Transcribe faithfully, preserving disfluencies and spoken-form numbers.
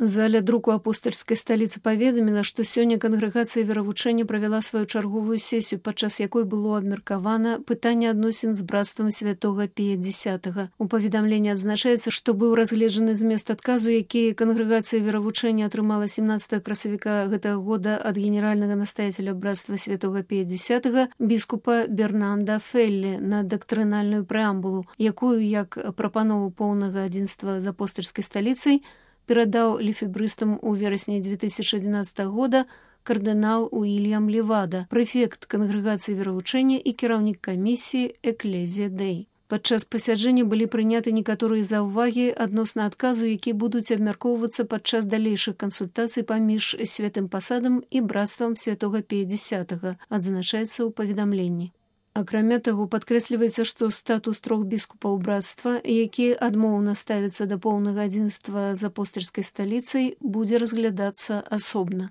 Заля друку апостальскай сталіцы паведаміла, што сёння кангрэгацыя веравучэння правяла сваю чарговую сесію, падчас якой было абмеркавана пытанне адносін з брацтвам святога Пія Дзесятага. У паведамленні адзначаецца, што быў разгледжаны змест адказу, які кангрэгацыя веравучэння атрымала семнаццатага красавіка гэтага года ад генеральнага настаяцеля брацтва святога Пія Дзесятага біскупа Бернанда Феллі на дактрынальную прэамбулу, якую, як прапанову поўнага адзінства з апостальскай сталіцай, перадаў лефебрыстам у верасні две тысячи адзінаццатага года кардынал Уільям Левада, прэфект кангрэгацыі веравучэння і кіраўнік камісіі Экклезія Дэй. Падчас пасяджэння былі прыняты некаторыя заўвагі адносна адказу, які будуць абмяркоўвацца падчас далейшых кансультацый паміж святым пасадам і брацтвам святога Пія Дзесятага, адзначаецца ў паведамленні. Акрамя таго, падкрэсліваецца, што статус трох біскупаў брацтва, які адмоўна ставіцца да поўнага адзінства з апостальскай сталіцай, будзе разглядацца асобна.